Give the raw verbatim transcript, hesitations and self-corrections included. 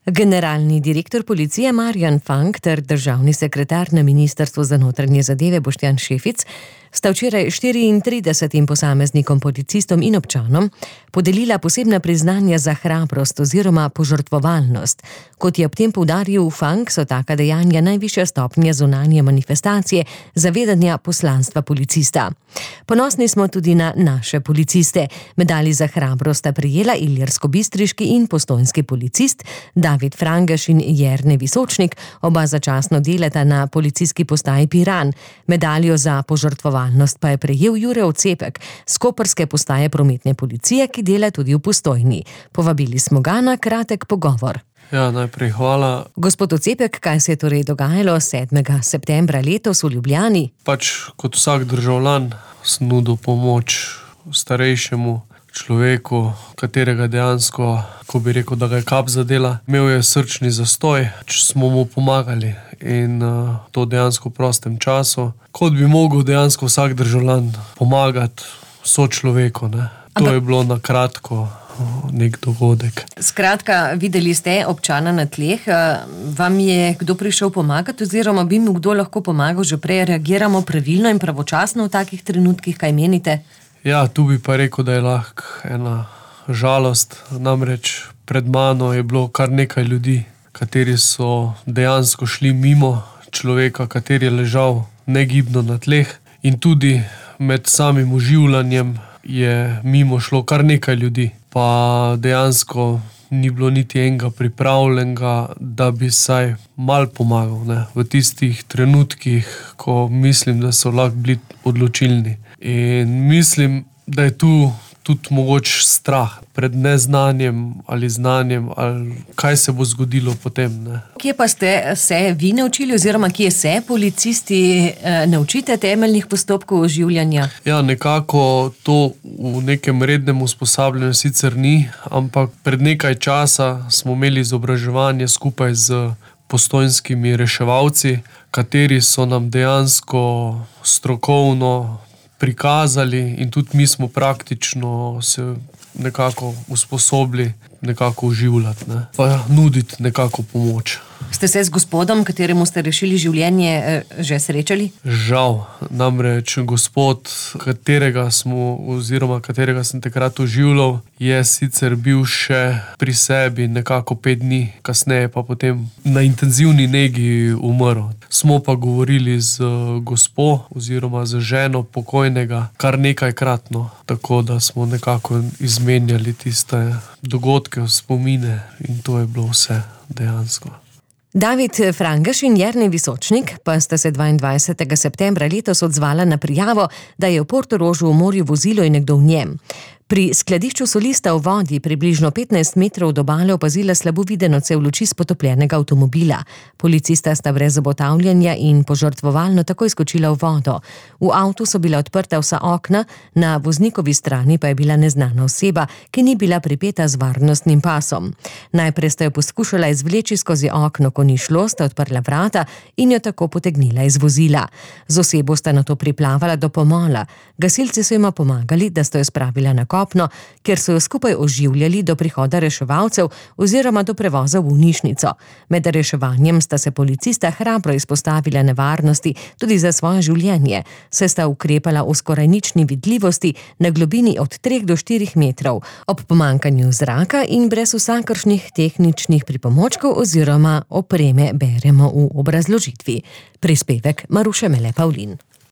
Generalni direktor policije Marjan Fank ter državni sekretar na Ministrstvu za notranje zadeve Boštjan Šefic sta včeraj štiriintridesetim posameznikom, policistom in občanom podelila posebna priznanja za hrabrost oziroma požrtvovalnost. Kot je ob tem poudaril Fank, so taka dejanja najvišja stopnja zunanje manifestacije zavedanja poslanstva policista. Ponosni smo tudi na naše policiste. Medalji za hrabrost sta prejela ilirskobistriški in postojnski policist David Frangaš in Jernej Visočnik, oba začasno delata na policijski postaji Piran. Medaljo za požrtvovalnost pa je prejel Jure Ocepek s koprske postaje prometne policije, ki dela tudi v Postojni. Povabili smo ga na kratek pogovor. Ja, najprej hvala. Gospod Ocepek, kaj se je torej dogajalo sedmega septembra letos v Ljubljani? Pač kot vsak državljan sem nudil pomoč starejšemu človeku, katerega dejansko, ko bi rekel, da ga je kap zadela, imel je srčni zastoj, smo mu pomagali in uh, to dejansko v prostem času. Kot bi mogel dejansko vsak državljan pomagati sočloveku, ne. To je bilo na kratko nek dogodek. Skratka, videli ste občana na tleh, vam je kdo prišel pomagati oziroma bi mu kdo lahko pomagal že prej? Reagiramo pravilno in pravočasno v takih trenutkih, kaj menite? Ja, tu bi pa rekel, da je lahko ena žalost, namreč pred mano je bilo kar nekaj ljudi, kateri so dejansko šli mimo človeka, kateri je ležal negibno na tleh, in tudi med samim oživljanjem je mimo šlo kar nekaj ljudi, pa dejansko ni bilo niti enega pripravljenega, da bi saj malo pomagal, ne, v tistih trenutkih, ko mislim, da so lahko bili odločilni. In mislim, da je tu tudi mogoč strah pred neznanjem ali znanjem, ali kaj se bo zgodilo potem, ne. Kje pa ste se vi naučili oziroma kje se policisti eh, naučite temeljnih postopkov oživljanja? Ja, nekako to v nekem rednem usposabljanju sicer ni, ampak pred nekaj časa smo imeli izobraževanje skupaj z postojnskimi reševalci, kateri so nam dejansko strokovno prikazali in tudi mi smo praktično se nekako usposobili nekako oživljati, ne, pa nuditi nekako pomoč. Ste se z gospodom, kateremu ste rešili življenje, že srečali? Žal, namreč gospod, katerega smo oziroma katerega sem takrat oživljal, je sicer bil še pri sebi nekako pet dni, kasneje pa potem na intenzivni negi umrl. Smo pa govorili z gospo oziroma z ženo pokojnega kar nekajkratno, tako da smo nekako izmenjali tiste dogodke, spomine in to je bilo vse dejansko. David Frangaš in Jernej Visočnik pa sta se dvaindvajsetega septembra letos odzvala na prijavo, da je v Portorožu v morju vozilo in nekdo v njem. Pri skladišču soli sta v vodi približno petnajst metrov od obale opazila slabo videno cev luči s potopljenega avtomobila. Policista sta brez obotavljanja in požrtvovalno takoj skočila v vodo. V avtu so bila odprta vsa okna, na voznikovi strani pa je bila neznana oseba, ki ni bila pripeta z varnostnim pasom. Najprej sta jo poskušala izvleči skozi okno, ko ni šlo, sta odprla vrata in jo tako potegnila iz vozila. Z osebo sta nato priplavala do pomola. Gasilci so jima pomagali, da sta jo spravila na kopno, kjer so jo skupaj oživljali do prihoda reševalcev oziroma do prevoza v bolnišnico. Med reševanjem sta se policista hrabro izpostavila nevarnosti tudi za svoje življenje, saj sta ukrepala v skoraj nični vidljivosti na globini od treh do štirih metrov, ob pomanjkanju zraka in brez vsakršnih tehničnih pripomočkov oziroma opreme, beremo v obrazložitvi. Prispevek Maruše Mele Pavlin.